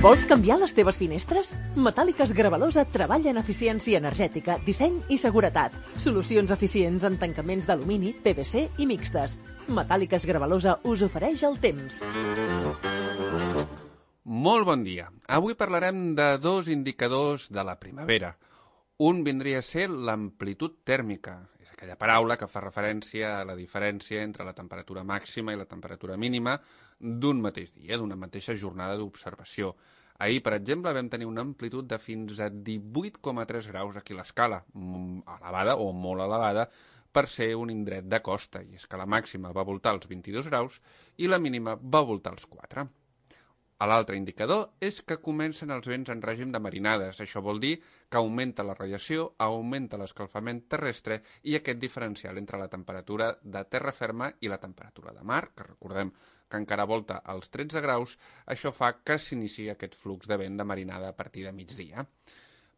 Vols canviar les teves finestres? Metàl·liques Gravalosa treballa en eficiència energètica, disseny i seguretat. Solucions eficients en tancaments d'alumini, PVC i mixtes. Metàl·liques Gravalosa us ofereix el temps. Molt bon dia. Avui parlarem de dos indicadors de la primavera. Un vindria a ser l'amplitud tèrmica. És aquella paraula que fa referència a la diferència entre la temperatura màxima i la temperatura mínima d'un mateix dia, d'una mateixa jornada d'observació. Ahir, per exemple, vam tenir una amplitud de fins a 18,3 graus aquí a l'escala, elevada o molt elevada, per ser un indret de costa, i és que la màxima va voltar els 22 graus i la mínima va voltar els 4. L'altre indicador és que comencen els vents en règim de marinades. Això vol dir que augmenta la radiació, augmenta l'escalfament terrestre i aquest diferencial entre la temperatura de terra ferma i la temperatura de mar, que recordem que encara volta als 13 graus, això fa que s'iniciï aquest flux de vent de marinada a partir de migdia.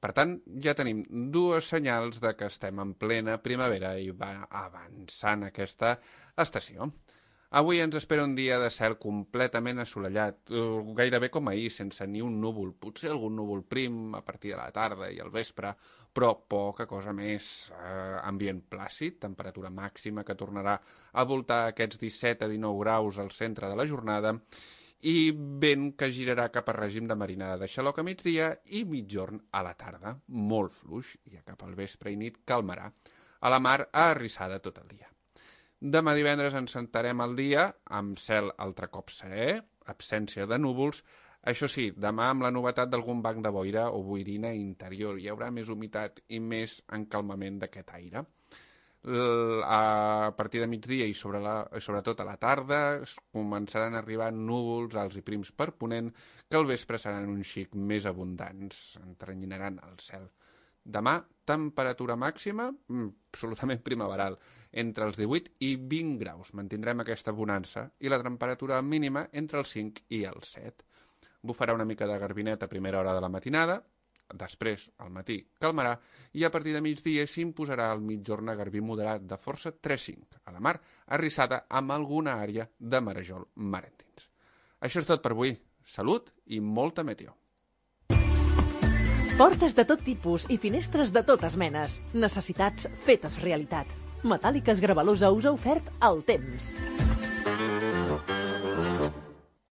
Per tant, ja tenim dues senyals de que estem en plena primavera i va avançant aquesta estació. Avui ens espera un dia de cel completament assolellat, gairebé com ahir, sense ni un núvol. Potser algun núvol prim a partir de la tarda i al vespre, però poca cosa més. Ambient plàcid, temperatura màxima que tornarà a voltar aquests 17 a 19 graus al centre de la jornada i vent que girarà cap a règim de marinada de xaloc a migdia i mitjorn a la tarda. Molt fluix, i cap al vespre i nit calmarà. A la mar arrissada tot el dia. Demà divendres ens sentarem al dia amb cel altre cop serè, absència de núvols. Això sí, demà amb la novetat d'algun banc de boira o boirina interior. Hi haurà més humitat i més encalmament d'aquest aire. A partir de migdia i sobretot a la tarda començaran a arribar núvols alts i prims per ponent que al vespre seran un xic més abundants, entrenyinaran el cel. Demà, temperatura màxima, absolutament primaveral, entre els 18 i 20 graus. Mantindrem aquesta bonança i la temperatura mínima entre els 5 i els 7. Bufarà una mica de garbinet a primera hora de la matinada, després, al matí, calmarà i a partir de migdia s'imposarà al mitjorn garbí moderat de força 3-5, a la mar, arrissada amb alguna àrea de marejol marentins. Això és tot per avui. Salut i molta meteo. Portes de tot tipus i finestres de totes menes. Necessitats fetes realitat. Metàl·liques Gravalosa us ha ofert el temps.